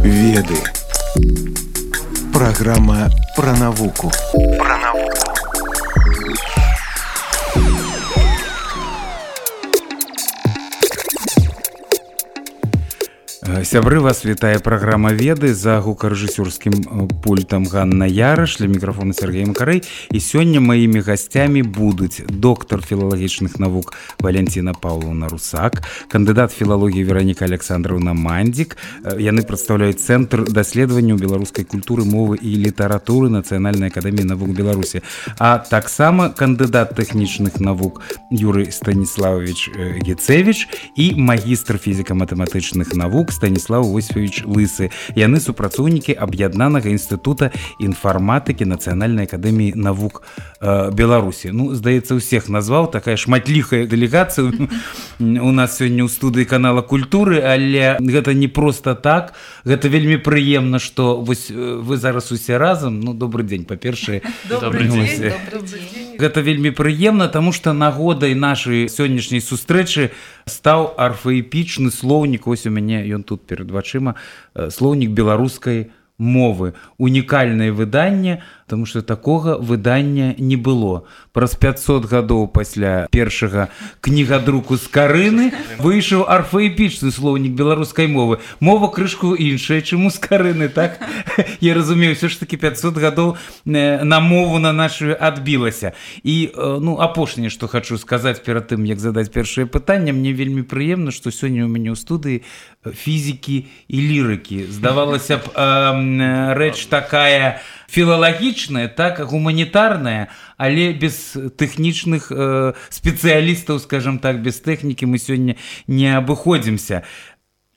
Веды. Программа про навуку. Сябры, вас вітае праграма «Веды» за гукарэжысёрскім пультам Ганна Яраш, для мікрафона Сергей Макарэй. І сёння маімі гасцямі будуць доктар філалагічных навук Валентина Павловна Русак, кандыдат філалогіі Вераніка Александровна Мандзік. Яны прадстаўляюць Цэнтр даследаванняў беларускай культуры, мовы і літаратуры Нацыянальнай акадэміі навук Беларусі. А таксама кандыдат тэхнічных навук Юрый Станіславович Гецевич і магістр фізіка-матэматычных навук Станіслав Осіпович Лысы. Яны супрацоўнікі Аб'яднанага інстытута інфарматыкі Нацыянальнай акадэміі навук Беларусі. Ну, здаецца, усіх назваў, такая шматлікая дэлегацыя у нас сёння ў студыі канала Культуры, але гэта не проста так. Гэта вельмі прыемна, што вось вы зараз усе разам. Ну, добры дзень, па-першае. Добры дзень. Гэта вельмі прыемна, таму што нагодай нашай сённяшняй сустрэчы стаў арфаэпічны слоўнік. Вось у мяне ён тут перед вачыма, слоўнік беларускай мовы. Унікальнае выданне, таму што такога выдання не было. Праз 500 гадоў пасля першага кнігадруку з Карыны выйшаў арфаэпічны слоўнік беларускай мовы. Мова крышку іншая, чым у Скарыны, так? Я разумею, ўсё ж такі 500 гадоў на мову на нашу адбілася. І, ну, апошняе, што хачу сказаць перад тым, як задаць першае пытанне, мне вельмі прыемна, што сёння ў мяне ў студыі фізікі і лірыкі. Здавалася б, рэч такая філалагічная, так, гуманітарная, але без тэхнічных спецыялістаў, скажам так, без тэхнікі мы сёння не абыходзімся.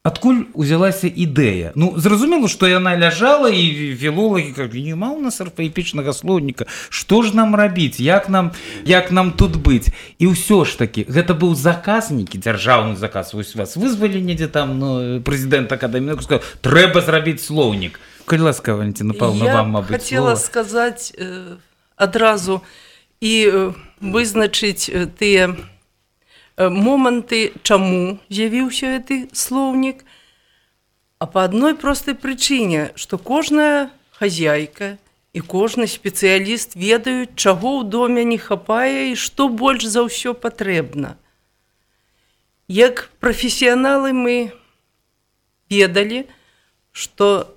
Адкуль узялася ідэя? Ну, зразумела, што яна ляжала, і філолагі кажуць, няма ў нас арфаэпічнага слоўніка, што ж нам рабіць, як нам тут быць? І ўсё ж такі, гэта быў заказ, нейкі дзяржаўны заказ, вось вас вызвалі недзе там, ну, прэзідэнт акадэміі, сказаў, трэба зрабіць слоўнік. Калі ласка, Валентина Павловна, вам, мабыць, я хотела сказаць адразу і вызначыць тыя моманты, чаму з'явіўся гэты слоўнік, а па адной простай прычыне, што кожная хазяйка і кожны спецыяліст ведаюць, чаго ў доме не хапае і што больш за ўсё патрэбна. Як прафесіяналы мы ведалі, што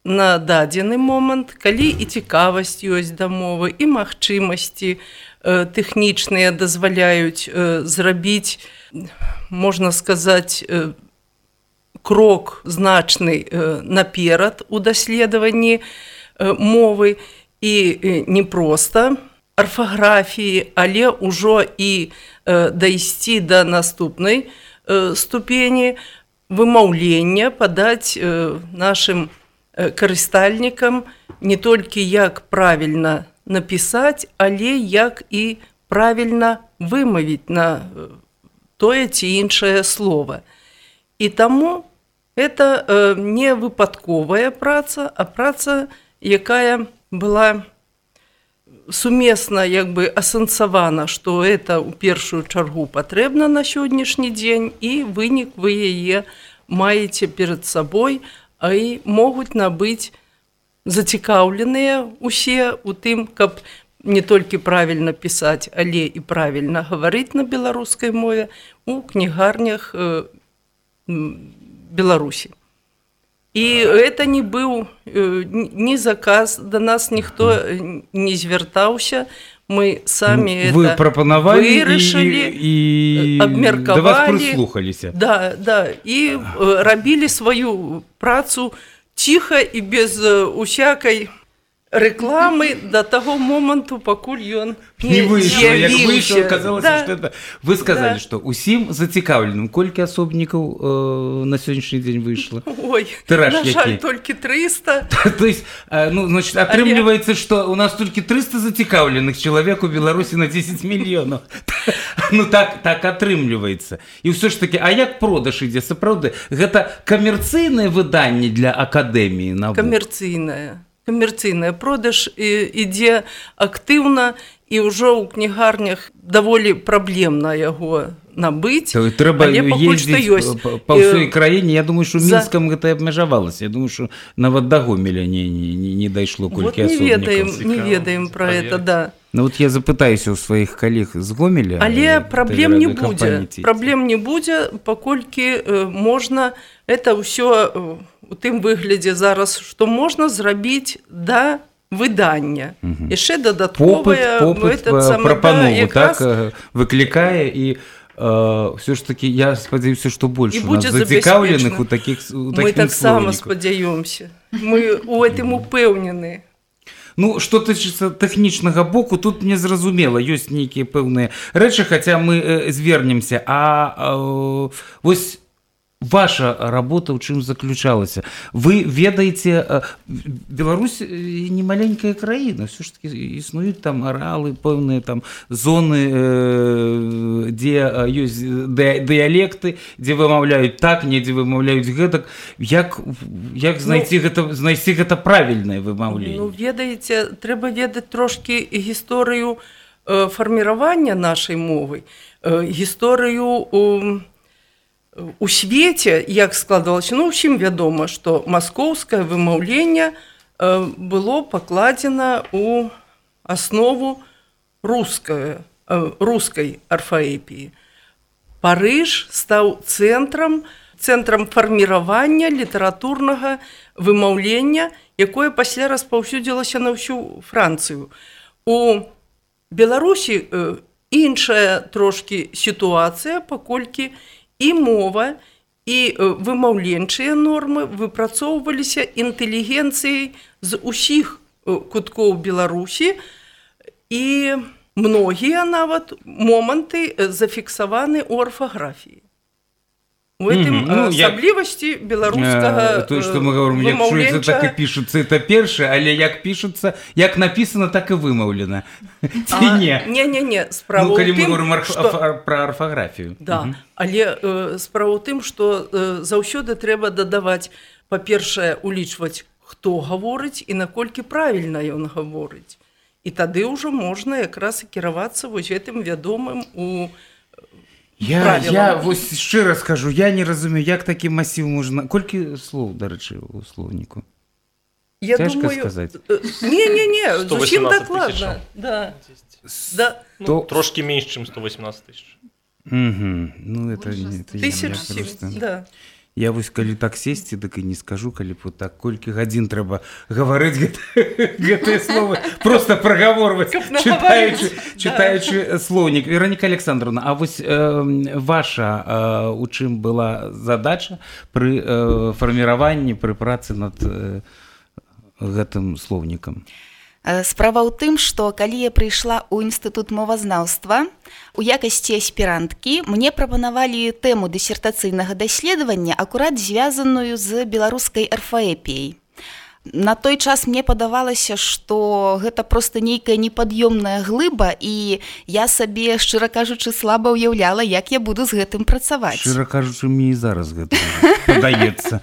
на дадзены момант, калі і цікавасць ёсць да мовы, і магчымасці тэхнічныя дазваляюць зрабіць, можна сказаць, крок значны наперад у даследаванні мовы, і не проста арфаграфіі, але ўжо і дайсці да наступнай ступені вымаўлення, падаць нашым карыстальнікам не толькі як правільна напісаць, але як і правільна вымавіць на тое ці іншае слова. І таму гэта не выпадковая праца, а праца, якая была сумесна як бы асэнсавана, што гэта ў першую чаргу патрэбна на сённяшні дзень, і вынік вы яе маеце перад сабой, а і могуць набыць зацікаўленыя усе ў тым, каб не толькі правільна пісаць, але і правільна гаварыць на беларускай мове у кнігарнях Беларусі. І гэта не быў ні заказ, да нас ніхто не звяртаўся, мы самі вы прапанавалі і абмеркавалі, да вас прыслухаліся. Да, і рабілі сваю працу ціха і без усякай рэкламы да таго моманту, пакуль ён не выйшаў. Як выйшаў, аказалася, што это... Вы сказалі, што усім зацікаўленым. Колькі асобнікаў на сённяшні дзень выйшла? Ой, на жаль, толькі 300. То есть, ну, значит, атрымліваецца, што у нас толькі 300 зацікаўленых чалавек у Беларусі на 10 мільёнаў. Ну, так атрымліваецца. І ўсё ж такі, а як продаж ідзе? Сапраўды, гэта камерцыйнае выданне для акадэміі навук? Камерцыйная продаж ідзе актыўна, і ўжо ў кнігарнях даволі праблемна яго набыць, трэба але пакуль што ёсць. Па ўсёй краіне. Я думаю, што Мінскам гэта абмежавалася. Я думаю, што нават да Гомеля не дайшло колькі асобнікаў. Не ведаем пра гэта, да. Ну вот я запытаюся ў сваіх калег з Гомеля. Але праблем не будзе. Праблем не будзе, паколькі можна это ўсё у тым выглядзе зараз, што можна зрабіць да выдання. Яшчэ дадатковая прапанову так выклікае і все ж таки я спадзяюся, што больш у нас зацікаўленых у такіх слоўніках. Мы таксама спадзяёмся. Мы у гэтым упэўнены. Ну, што тычыцца тэхнічнага боку, тут незразумела, ёсць нейкія пэўныя рэчы, хаця мы звернемся. Вось ваша работа ў чым заключалася? Вы ведаеце, Беларусь не маленькая краіна, все ж таки існуюць там арэалы, пэўныя там зоны, дзе ёсць дыялекты, дзе вымаўляюць так, недзе вымаўляюць гэтак. Як знайсці гэта правільнае вымаўленне? Ну, ведаеце, трэба ведаць трошкі гісторыю фарміравання нашай мовы, гісторыю у свеце, як складвалася, ну, усім вядома, што маскоўскае вымаўленне было пакладзена ў аснову рускай арфаэпіі. Парыж стаў цэнтрам фарміравання літаратурнага вымаўлення, якое пасля распаўсюдзілася на ўсю Францыю. У Беларусі іншая трошкі сітуацыя, паколькі і мова, і вымаўленчыя нормы выпрацоўваліся інтэлігенцыяй з усіх куткоў Беларусі, і многія нават моманты зафіксаваны ў арфаграфіі. У гэтым асаблівасці беларускага то, што мы говорим, як чуецца, так і пішуцца, это першае, але як пішуцца, як напісана, так і вымаўлена. Ці не? Не, справа ў тым, калі мы говорим пра арфаграфію. Да, але справа ў тым, што заўсёды трэба дадаваць, па-першае, улічваць, хто гаворыць і наколькі правільна ён гаворыць. І тады ўжо можна якраз і кіравацца вось гэтым вядомым у Я вось шчыра скажу, я не разумею, як такі масіў можна... Колькі слоў, дарэчы, у слоўніку? Цяжка сказаць. Не, зусім дакладна. Да. Трошкі менш, чым 118 тысяч. Ну, это... Тысяч, да. Я вось калі так сесці, дык і не скажу, калі б так колькі гадзін трэба гаварыць гэтыя словы, просто прагаворваць, чытаючы слоўнік. Вераніка Александровна, а вось ваша у чым была задача пры фарміраванні, пры працы над гэтым слоўнікам? Справа ў тым, што калі я прыйшла ў інстытут мовазнаўства, у якасці аспіранткі мне прапанавалі тэму дысертацыйнага даследавання, акурат звязаную з беларускай арфаэпіяй. На той час мне падавалася, што гэта проста нейкая непад'ёмная глыба, і я сабе, шчыра кажучы, слаба ўяўляла, як я буду з гэтым працаваць. Шчыра кажучы, мне і зараз гэта падаецца.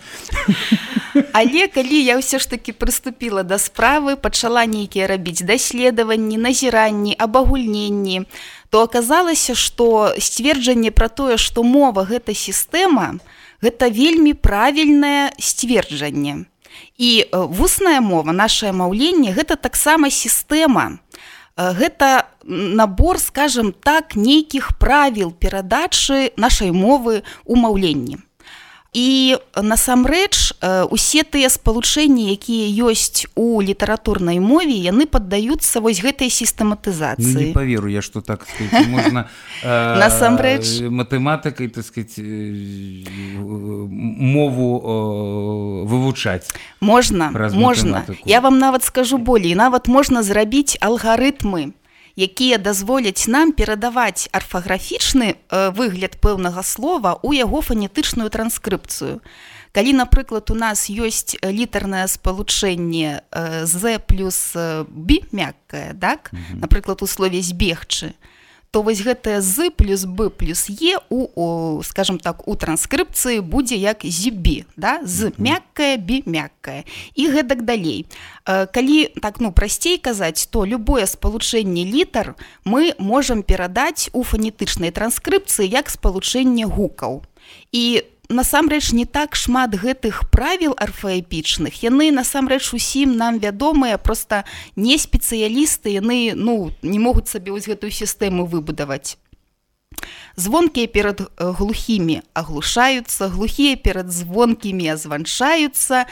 Але калі я ўсё ж такі прыступіла да справы, пачала нейкія рабіць даследаванні, назіранні, абагульненні, то аказалася, што сцверджанне пра тое, што мова – гэта сістэма, гэта вельмі правільнае сцверджанне. І вусная мова, нашае маўленне – гэта таксама сістэма. Гэта набор, скажам так, нейкіх правіл перадачы нашай мовы ў маўленні. І насамрэч усе тыя спалучэнні, якія ёсць у літаратурнай мове, яны паддаюцца вось гэтай сістэматызацыі. Ну, не паверу я, што так сказаць, можна матэматыкай, так сказаць, мову вывучаць. Можна. Я вам нават скажу болей, нават можна зрабіць алгарытмы, якія дазволяць нам перадаваць арфаграфічны выгляд пэўнага слова ў яго фанетычную транскрыпцыю. Калі, напрыклад, у нас ёсць літарнае спалучэнне «з» плюс «б» мяккае, так? Напрыклад, у слове «збегчы», то вось гэтае з плюс б плюс е скажем так, у транскрыпцыі будзе як зібі, да? З мяккае, бі мяккае. І гэтак далей. Калі так, прасцей казаць, то любое спалучэнне літар мы можам перадаць у фанетычнай транскрыпцыі як спалучэнне гукаў. І насамрэч не так шмат гэтых правіл арфаэпічных, яны насамрэч усім нам вядомыя, проста не спецыялісты, яны не могуць сабе вось гэтую сістэму выбудаваць. Звонкія перад глухімі аглушаюцца, глухія перад звонкімі азванчаюцца,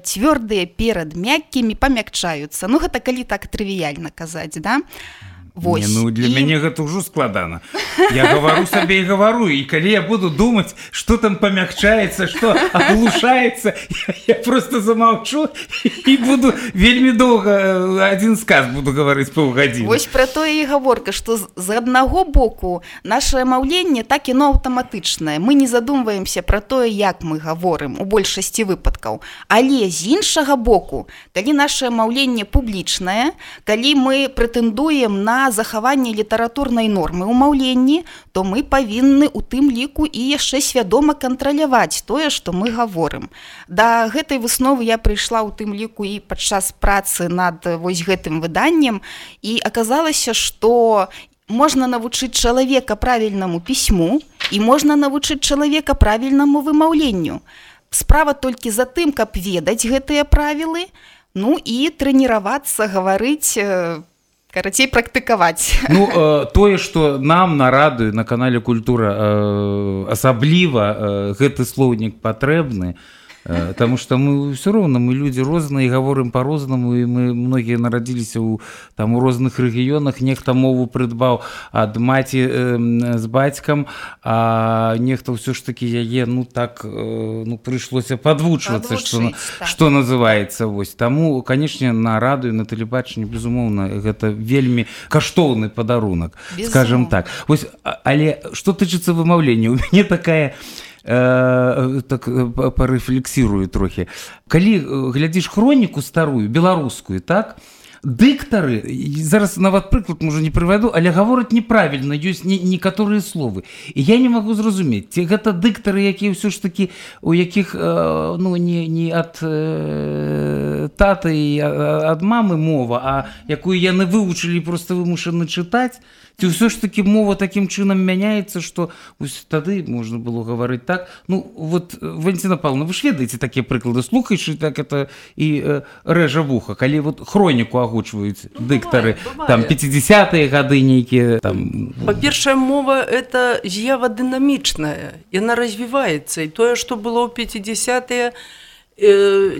цвёрдыя перад мяккімі памякчаюцца. Гэта калі так трывіяльна казаць, да? Вось. Для мяне гэта ўжо складана. Я гавару сабе і гавару, і калі я буду думаць, што там памякчаецца, што аглушаецца, я просто замаўчу і буду вельмі доўга адзін сказ буду гаварыць паўгадзіны. Вось пра тое і гаворка, што з аднаго боку нашае маўленне так яно аўтаматычнае. Мы не задумваемся пра тое, як мы гаворым у большасці выпадкаў. Але з іншага боку, калі нашае маўленне публічнае, калі мы прэтэндуем на захаванне літаратурнай нормы ў маўленні, то мы павінны у тым ліку і яшчэ свядома кантраляваць тое, што мы гаворым. Да гэтай высновы я прыйшла ў тым ліку і падчас працы над вось гэтым выданнем, і аказалася, што можна навучыць чалавека правільнаму пісьму і можна навучыць чалавека правільнаму вымаўленню. Справа толькі за тым, каб ведаць гэтыя правілы, і трэніравацца, гаварыць, карацей, практыкаваць. Тое, што нам на радыё, на канале Культура асабліва гэты слоўнік патрэбны, Таму што мы ўсё роўна, мы людзі розныя і гаворым па-рознаму, і мы многія нарадзіліся ў розных рэгіёнах, нехта мову прыдбаў ад маці з бацькам, а нехта ўсё ж такі яе прыйшлося падвучвацца, што называецца. Таму, канечне, на радыё, на тэлебачанні, безумоўна, гэта вельмі каштоўны падарунак, скажам так. Але што тычыцца вымаўлення, у мяне такая так парэфлексірую трохі. Калі глядзіш хроніку старую, беларускую, так, дыктары, зараз нават прыклад, можа, не прывяду, але гавораць неправільна, ёсць некаторыя словы. І я не магу зразумець, ці гэта дыктары, якія ўсё ж такі, у якіх не ад таты і ад мамы мова, а якую яны вывучылі, проста вымушаны чытаць, ці ўсё ж такі мова такім чынам мяняецца, што тады можна было гаварыць так. Валентина Павловна, вы ж ведаеце такія прыклады, слухаеш, так это і рэжа вуха, калі хроніку агучваюць дыктары, там 50-е гады нейкія. Па-першае, мова – это з'ява дынамічная, яна развіваецца, і тое, што было ў 50-е,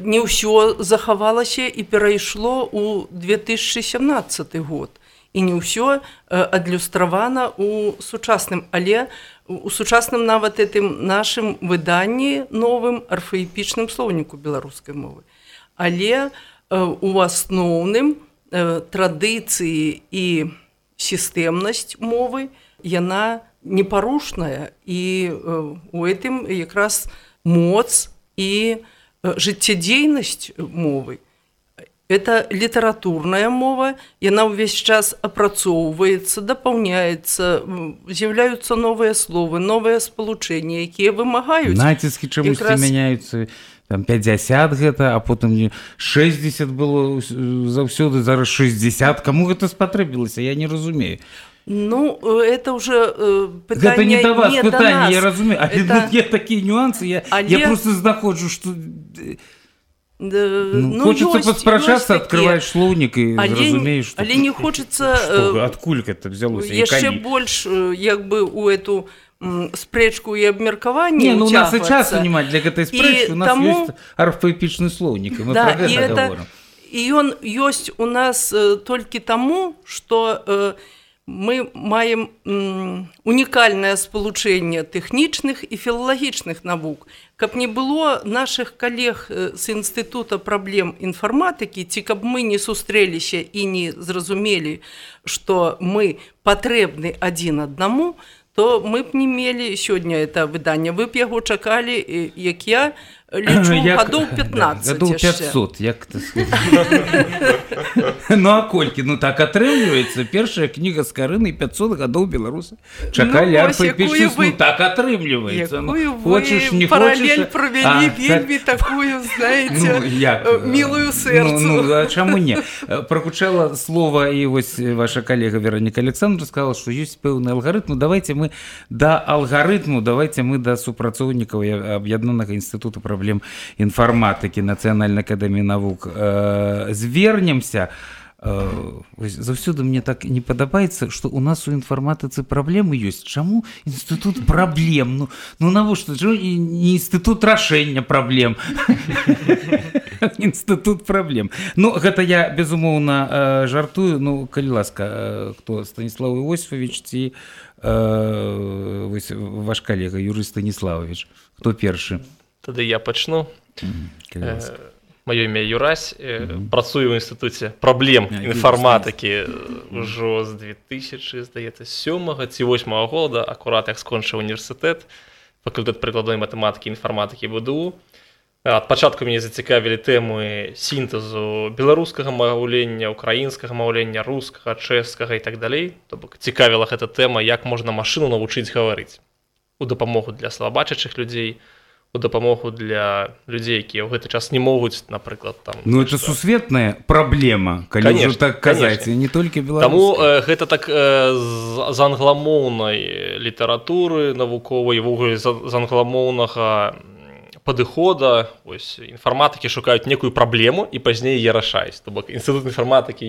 не ўсё захавалася і перайшло ў 2017 год. І не ўсё адлюстравана ў сучасным, але у сучасным нават гэтым нашым выданні новым арфаэпічным слоўніку беларускай мовы. Але у асноўным традыцыі і сістэмнасць мовы, яна непарушная, і у гэтым якраз моц і жыццядзейнасць мовы. Это літаратурная мова, яна ўвесь час апрацоўваецца, дапаўняецца, з'яўляюцца новыя словы, новыя спалучэнні, якія вымагаюць. Націскі чамусьці мяняюцца, там 50 гэта, а потым 60 было заўсёды, зараз 60. Каму гэта спатрэбілася, я не разумею. Это уже пытанне гэта не да вас не пытанне, да нас. Я разумею. Але є такія нюансы, я просто знаходжу, што... Хочется паспрачацца, открываешь слоўнік і зразумееш, але не хочется адкуль гэта взялося. Яшчэ больш у эту спрэчку і абмеркаванне у нас і часу няма для гэтай спрэчкі, у нас ёсць арфаэпічны слоўнік, і мы пра гэта гаворым. І ён ёсць у нас толькі таму, што мы маем унікальнае спалучэнне тэхнічных і філалагічных навук. Каб не было нашых калег з Інстытута праблем інфарматыкі, ці каб мы не сустрэліся і не зразумелі, што мы патрэбны адзін аднаму, то мы б не мелі сёння это выданне. Вы б яго чакалі, як я, лічу гадоў 15 гадоў 500, як ты ну а колькі, ну так атрымліваецца, першая кніга з Карынай 500 гадоў беларусы чакалі арфаэпічны, ну так атрымліваецца, хочаш, не хочаш, паралель правялі вельмі такую, знаете, милую сэрцу. Ну а чаму не? Прагучала слова, і вось ваша калега Вероніка Александровна сказала, што ёсць пэўны алгарытм. Давайте мы да алгарытму, давайте мы да супрацоўнікаў Аб'яднанага інстытуту праблем інфарматыкі Нацыянальнай акадэміі навук звернемся. Заўсёды мне так не падабаецца, што у нас у інфарматыцы праблемы ёсць. Чаму інстытут праблем? Ну навошта? Не інстытут рашэння праблем. Інстытут праблем. Ну, гэта я, безумоўна, жартую. Ну, калі ласка, хто? Станіслав Іосифович ці ваш калега Юрый Станіславович? Хто першы? Тады я пачну. Маё імя Юрась, працую ў інстытуце праблем інфарматыкі ўжо з 2007 ці 2008 года, акурат як скончыў універсітэт, факультэт прыкладной матэматыкі і інфарматыкі ВДУ. Ад пачатку мяне зацікавілі тэмы сінтэзу беларускага маўлення, украінскага маўлення, рускага, чэшскага і так далей. То бок цікавіла гэта тэма, як можна машыну навучыць гаварыць. У дапамогу для слабачачых людзей, у дапамогу для людзей, якія ў гэты час не могуць, напрыклад, там... Ну, это сусветная праблема, калі ўжо так казаць, не толькі беларуская. Таму гэта так з англамоўнай літаратуры навуковай, ввогуле з англамоўнага падыхода, ось, інфарматыкі шукаюць некую праблему і пазней яе рашаюць. То бок інстытут інфарматыкі,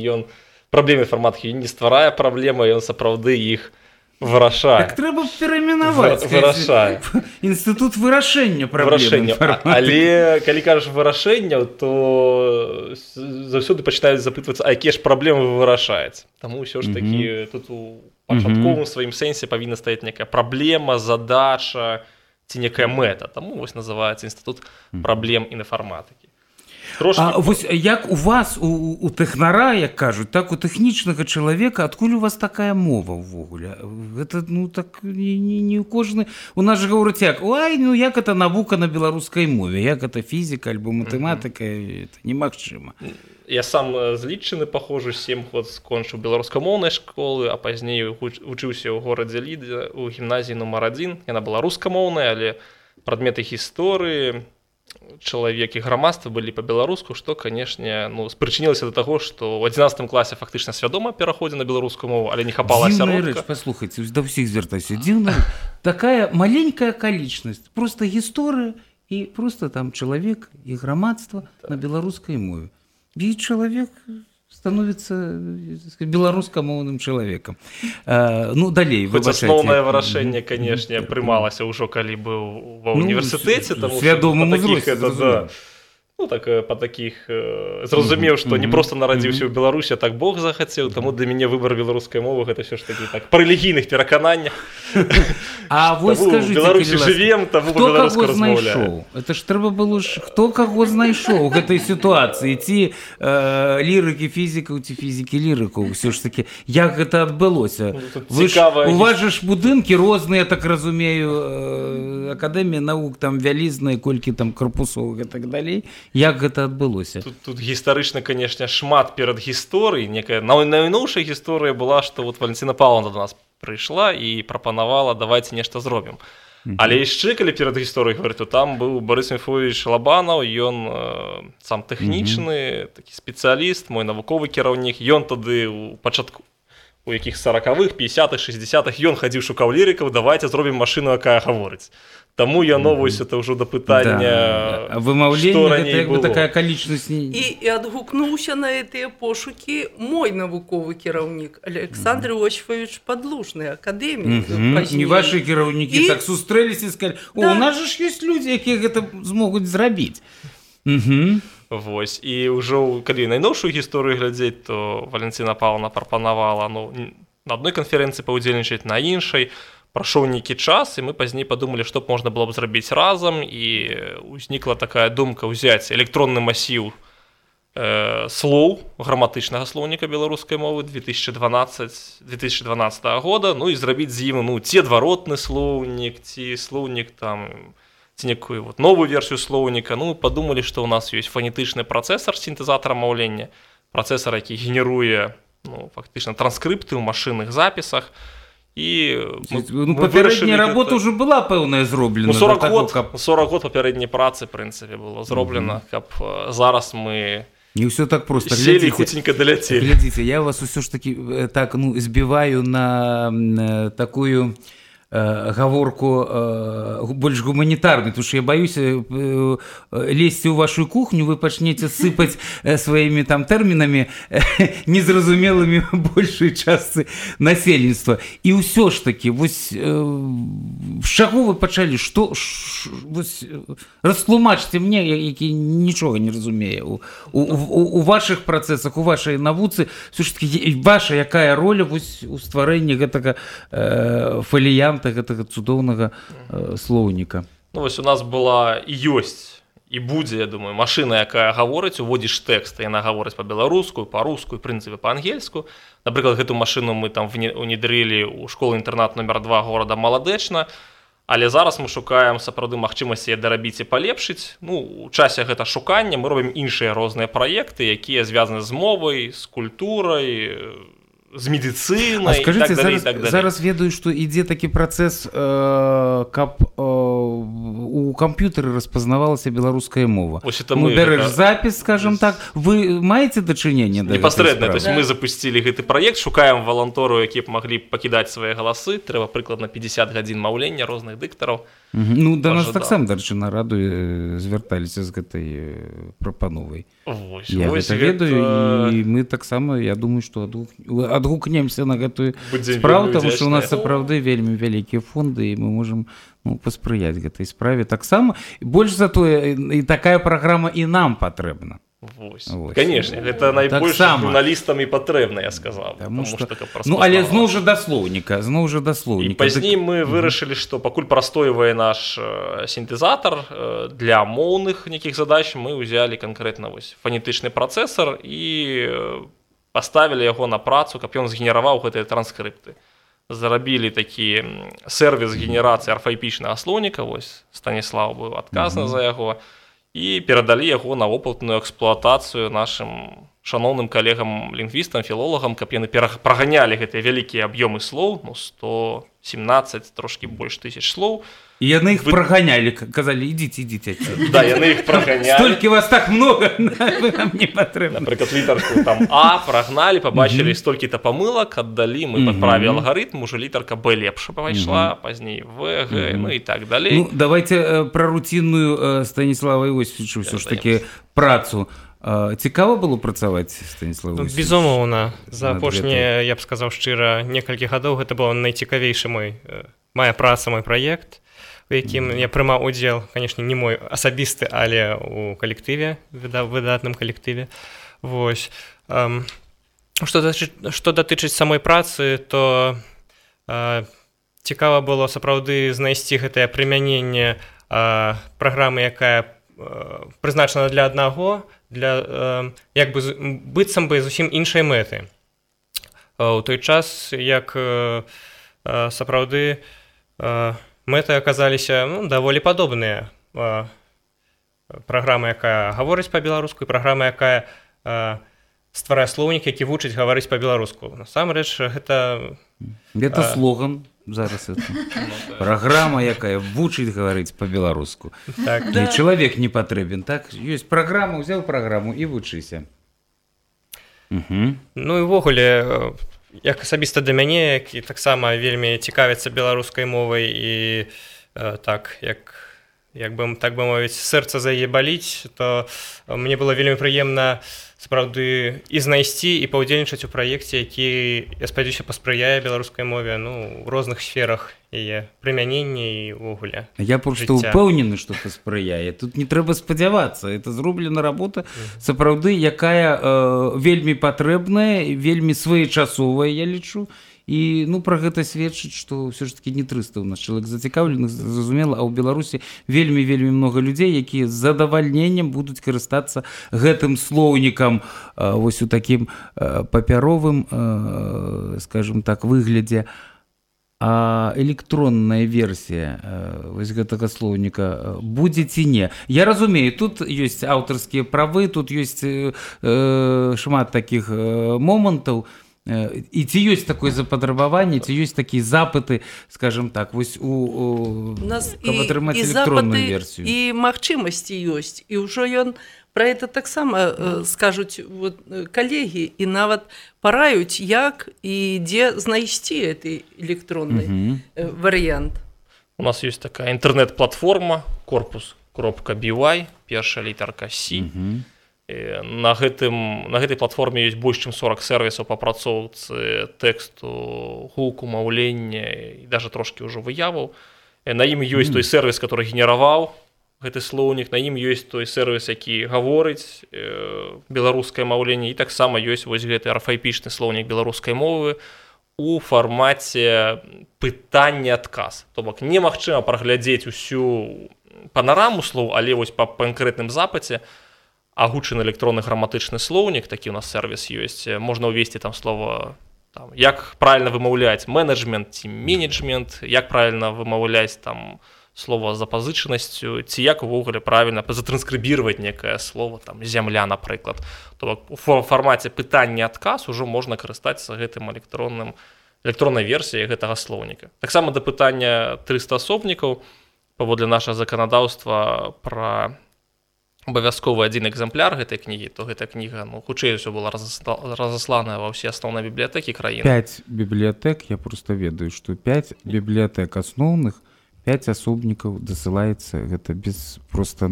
праблемы інфарматыкі не стварае праблемы, ён сапраўды іх вырашае. Так трэба перайменаваць. Вырашае. Інстытут вырашэння праблем. Але калі кажаш вырашэнняў, то заўсёды пачынаюць запытвацца, а якія ж праблемы вы вырашаеце. Таму ўсё ж такі тут у пачатковым сваім сэнсе павінна стаяць некая праблема, задача ці некая мэта. Таму вось называецца інстытут праблем інфарматыкі. А вось як у вас, у тэхнара, як кажуць, так у тэхнічнага чалавека, адкуль у вас такая мова ўвогуле? Гэта, ну, так, не кожны... У нас же гавораць як, ой, ну, як это навука на беларускай мове, як это фізіка альбо матэматыка, это немагчыма. Я сам з Лідчыны пахожу, 7 год скончыў беларускамоўнай школы, а пазней вучыўся ў горадзе Лідзе, у гімназіі нумар 1. Яна была рускамоўная, але прадметы гісторыі, чалавек і грамадства былі па-беларуску, што, канешне, спрычынілася да таго, што ў 11 класе фактычна свядома пераходзіў на беларускую мову, але не хапала асяродка. Дзіўная рэч, паслухайце, да ўсіх звяртайся. Дзіўная, такая маленькая акалічнасць, проста гісторыя і проста там чалавек і грамадства на беларускай мове. І чалавек становіцца беларускамоўным чалавекам. Ну, далей, выбачайце. Асноўнае вырашэнне, канешне, прымалася ўжо, калі быў ва універсітэце. Свядомым узросце, зразумела. Ну, так, па такіх, зразумеў, што не проста нарадзіўся ў Беларусі, а так Бог захацеў, таму для мяне выбар беларускай мовы гэта ўсё ж такі так, па рэлігійных перакананнях. А вось скажыце, Беларусі жывем, таму па-беларуску размаўляем. Это ж трэба было ж, хто каго знайшоў у гэтай сітуацыі, ці лірыкі фізікаў, ці фізікі лірыкаў, ўсё ж такі, як гэта адбылося? У вас жа ж будынкі розныя, так разумею, акадэмія навук, там вялізныя, колькі там карпусоў і так далей. Як гэта адбылося? Тут гістарычна, канешне, шмат перад гісторыяй. Некая найноўшая гісторыя была, што вот Валентина Павловна до нас прыйшла і прапанавала, давайте нешта зробім. Але яшчэ, калі перад гісторыяй гаварыць, то там быў Борис Мефодович Лабанаў, ён сам тэхнічны, такі спецыяліст, мой навуковы кіраўнік. Ён тады у пачатку, у якіх 40-х, 50-х, 60-х, ён хадзіў, шукаў лірыкаў, давайте зробім машыну, якая гаворыць. Таму я новуюсь, это ўжо да пытання, што раней было. Такая акалічнасць... І адгукнуўся на гэтыя пошукі мой навуковы кіраўнік Александр Иосифович Падлужны, акадэмік. Не вашы кіраўнікі так сустрэліся і сказалі, у нас жа ж ёсць людзі, якія гэта змогуць зрабіць. Вось, і ўжо, калі найноўшую гісторыю глядзець, то Валентина Павловна прапанавала на адной канферэнцыі паўдзельнічаць, на іншай. Прайшоў нейкі час, і мы пазней падумалі, што б можна было б зрабіць разам, і ўзнікла такая думка ўзяць электронны масіў слоў граматычнага слоўніка беларускай мовы 2012 года, ну і зрабіць з ім ці адваротны слоўнік, ці слоўнік там ці некую вот новую версію слоўніка. Ну, мы падумалі, што ў нас ёсць фанетычны працэсар сінтэзатара маўлення, працэсар, які генеруе, ну, фактычна транскрыпты ў машынных запісах. І папярэдняя работа ўжо была пэўная зроблена. 40 год папярэдняй працы, в прынцыпе, было зроблена, каб зараз мы не ўсё так просто. Сели і хуценька даляцелі. Глядзіце, я вас усё ж таки так, ну, збіваю на такую гаворку больш гуманітарную, тому що я баюся лезці ў вашу кухню, вы пачнеце сыпаць сваімі там тэрмінамі незразумелымі большай частцы насельніцтва. І ўсё ж таки, вось з чаго вы пачалі? Што растлумачце мне, які нічога не разумее у вашых працэсах, у вашай навуцы, ўсё ж таки ваша якая роля вось у стварэнні гэтага фаліянта, гэтага цудоўнага слоўніка? Ну, вось у нас была і ёсць, і будзе, я думаю, машына, якая гаворыць, уводзіш тэкст, яна гаворыць па-беларуску, па-руску, в прынцыпе, па-ангельску. Напрыклад, гэту машыну мы там внедрылі ў школу-інтэрнат номер 2 горада Маладэчна, але зараз мы шукаем сапраўды магчымасці дарабіць і палепшыць. Ну, у часе гэта шукання мы робім іншыя розныя праекты, якія звязаны з мовай, з культурай, з медицинай, скажите, і так далее, і так далее. Зараз ведаю, што ідзе такі працэс, каб у камп'ютары распазнавалася беларуская мова. Ну, бярэш запіс, скажем так. Вы маеце дачыненне да гэтай справы? Непасрэдна, то есть мы запусцілі гэты праект, шукаем валантору, якія б маглі пакідаць свае галасы. Трэба прыкладна 50 гадзін маўлення розных дыктараў. Ну, да нас таксама, дарэчы, на раду звярталіся з гэтай прапановай. Я гэта ведаю, і мы таксама, я думаю, што адгукнемся на гэтую справу, таму што у нас сапраўды вельмі вялікія фонды, і мы можам паспрыяць гэтай справе таксама. Больш за тое, і такая праграма і нам патрэбна. Конечно, гэта найбольш журналістам і патрэбна, я сказаў. Ну, але зноў жа да слоўніка. І пазней мы вырашылі, што пакуль прастойвае наш сінтэзатар для моўных нейкіх задач, мы ўзялі канкрэтна фанетычны працэсар і паставілі яго на працу, каб ён згенераваў гэтыя транскрыпты. Зарабілі такі сервіс генерацыі арфаэпічнага слоўніка, вось Станіслав быў адказны за яго, і перадалі яго на опытную эксплуатацыю нашым шаноўным калегам-лінгвістам, філолагам, каб яны праганялі гэтыя вялікія аб'ёмы слоў, ну, 117, трошкі больш тысяч слоў. І яны іх праганялі, казалі, ідзіце. Да, яны іх праганялі. Столькі вас так много, вы нам не патрэбны. Напрыклад, літарку там А прагналі, пабачылі столькі-то памылак, аддалі, мы падправілі алгарытм, уже літарка Б лепш пайшла, пазней В, Г, ну і так далей. Ну, давайте пра руцінную Станіслава Іосіфовича ўсё ж такі працу. Цікава было працаваць, Станіслав Іосіфович? Безумоўна. За апошнія, я б сказаў шчыра, некалькі гадоў гэта быў найцікавейшы моя праца, мой праект, у якім я прымаў удзел, канешне, не мой асабісты, але у калектыве, выдатным калектыве. Вось. Што датычыць самой працы, то цікава было сапраўды знайсці гэтае прымяненне праграмы, якая прызначана для аднаго, для як бы быццам бы зусім іншай мэты. У той час, як сапраўды мэты аказаліся даволі падобныя. Праграма, якая гаворыць па-беларуску, і праграма, якая стварае слоўнік, які вучыць гаварыць па-беларуску. Насамрэч, гэта... Гэта слоган зараз. Праграма, якая вучыць гаварыць па-беларуску. І чалавек не патрэбен, так? Ёсць праграма, узяў праграму і вучыся. Ну і ўвогуле... Як асабіста да мяне, які таксама вельмі цікавіцца беларускай мовай і так, як бы мовіць, сэрца за яе баліць, то мне было вельмі прыемна сапраўды і знайсці, і паўдзельнічаць у праекце, які, я спадзяюся, паспрыяе беларускай мове, ну, у розных сферах яе прымянення і ўвогуле. Я проста ўпэўнены, што паспрыяе. Тут не трэба спадзявацца. Это зроблена работа, сапраўды, якая вельмі патрэбная, вельмі своечасовая, я лічу. І, ну, пра гэта сведчыць, што ўсё ж такі не 300 у нас чалавек зацікаўленых, зразумела, а ў Беларусі вельмі многа людзей, якія з задавальненнем будуць карыстацца гэтым слоўнікам вось у такім папяровым, скажем так, выглядзе. а электронная версія вось гэтага слоўніка будзе ці не? Я разумею, тут ёсць аўтарскія правы, тут ёсць шмат такіх момантаў, і ці ёсць такое запатрабаванне, ці ёсць такія запыты, скажем так, вось каб атрымаць электронную версію? І магчымасці ёсць, і ўжо ён пра гэта таксама скажуць калегі і нават параюць, як і дзе знайсці гэты электронны варыянт. У нас ёсць такая інтэрнэт-платформа corpus.by, першая літарка C. На гэтай платформе ёсць больш чым 40 сервісаў па апрацоўцы тэксту, гуку, маўлення і даже трошкі ўжо выяваў. На ім ёсць той сервіс, который генераваў гэты слоўнік, на ім ёсць той сервіс, які гаворыць беларускае маўленне, і таксама ёсць вось гэты арфаэпічны слоўнік беларускай мовы у фармаце пытання-адказ. То бок немагчыма праглядзець усю панараму слоў, але вось па канкрэтным запыце агучаны электронны граматычны слоўнік, такі у нас сервіс ёсць, можна ўвесці там слова, як правільна вымаўляць менеджмент ці менеджмент, як правільна вымаўляць там слова з запазычанасцю, ці як увогуле правільна затранскрыбіраваць некае слово, там зямля, напрыклад. То бок у фармаце пытання-адказ ужо можна карыстацца гэтым электроннай версіяй гэтага слоўніка. Таксама да пытання 300 асобнікаў, паводле нашага заканадаўства пра абавязковы адзін экземпляр гэтай кнігі, то гэтая кніга, хутчэй усё была разасланая ва ўсе асноўныя бібліятэкі краіны. 5 бібліятэк, я проста ведаю, што 5 бібліятэк асноўных, 5 асобнікаў дасылаецца, гэта без проста,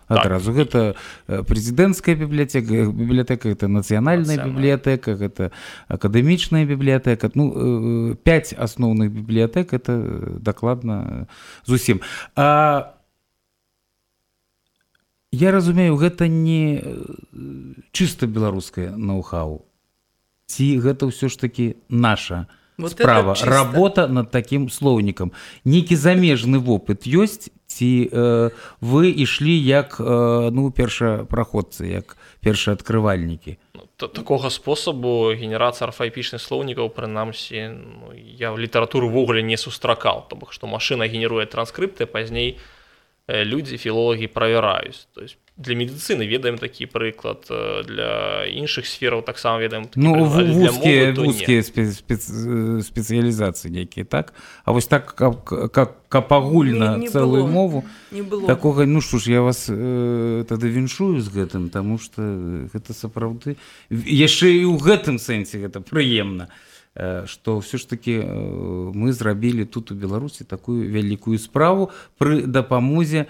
адразу. Гэта прэзідэнцкая бібліятэка, гэта нацыянальная бібліятэка, гэта акадэмічная бібліятэка. 5 асноўных бібліятэк, это дакладна зусім. Я разумею, гэта не чыста беларускае ноу-хау. Ці гэта ўсё ж такі наша справа, работа над такім слоўнікам. Нейкі замежны вопыт ёсць, ці вы ішлі як першапраходцы, як першаадкрывальнікі? Такога спосабу генерацыя арфаэпічных слоўнікаў, прынамсі, я ў літаратуру ўвогуле не сустракаў, то бок што машына генеруе транскрыпты, пазней людзі, філолагі правяраюць. То есть для медыцыны ведаем такі прыклад, для іншых сфераў таксама ведаем такі прыклад, для мовы то не. Вузкія спецыялізацыі нейкія, так? А вось так, каб агульна цэлую мову, такога, што ж, я вас тады віншую з гэтым, таму што гэта сапраўды, яшчэ і ў гэтым сэнсе гэта прыемна, што ўсё ж такі мы зрабілі тут у Беларусі такую вялікую справу пры дапамозе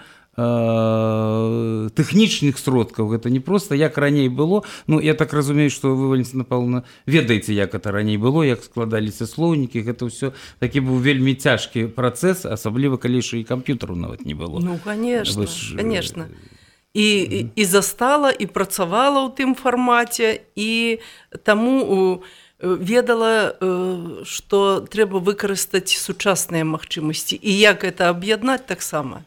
тэхнічных сродкаў. Гэта не проста як раней было. Я так разумею, што вы, Валентина Павловна, ведаеце, як это раней было, як складаліся слоўнікі. Гэта ўсё такі быў вельмі цяжкі працэс, асабліва калі яшчэ і камп'ютару нават не было. Конечно, конечно. І застала, і працавала ў тым фармаце, і таму ведала, што трэба выкарыстаць сучасныя магчымасці. І як гэта аб'яднаць таксама.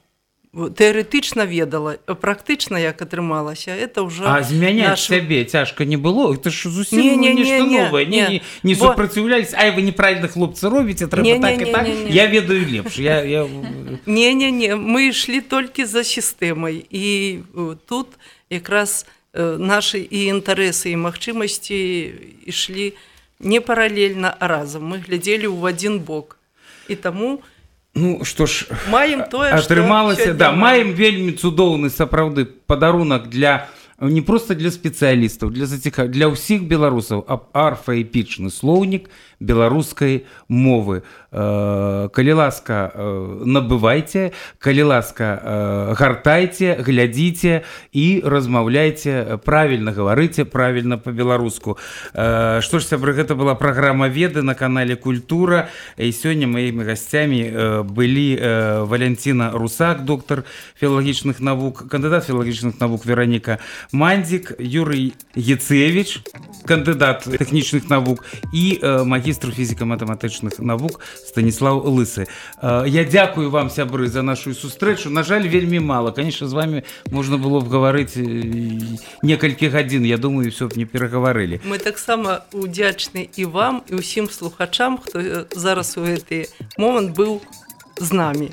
Тэарэтычна ведала, практычна як атрымалася, это ўжо... А змяняць сябе цяжка не было? Это ж зусім нешта новае. Не супраціўляліся, вы неправільна, хлопцы, робіце, трэба так і так. Я ведаю лепш. Не, мы ішлі толькі за сістэмай. І тут якраз нашы і інтарэсы, і магчымасці ішлі не паралельна, а разам. Мы глядзелі ў адзін бок. І таму... што ж, маем тое, атрымалася, маем вельмі цудоўны сапраўды падарунак для не проста для спецыялістаў, для ўсіх беларусаў, арфаэпічны слоўнік беларускай мовы. Калі ласка, набывайце, калі ласка, гартайце, глядзіце і размаўляйце, правільна гаварыце, правільна па-беларуску. Што ж, сябры, гэта была праграма «Веды» на канале «Культура». І сёння маімі гасцямі былі Валентина Русак, доктар філалагічных навук, кандыдат філалагічных навук, Вероніка Мандзік Юрый Яцевич, кандыдат тэхнічных навук, і магістр фізіка-матэматычных навук Станіслав Лысы. Я дзякую вам, сябры, за нашу сустрэчу. На жаль, вельмі мала. Конечно, з вами можна было б гаварыць некалькі гадзін. Я думаю, все б не перагаварылі. Мы таксама удзячны і вам, і ўсім слухачам, хто зараз у гэты момант быў з намі.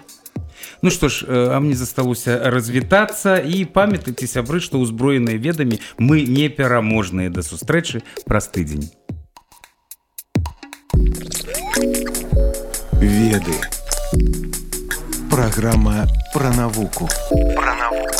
Ну што ж, а мне засталося развітацца і памятайце, сябры, што ўзброеныя ведамі мы непераможныя. Да сустрэчы праз тыдзень. Веды. Праграма пра навуку. Пра навуку.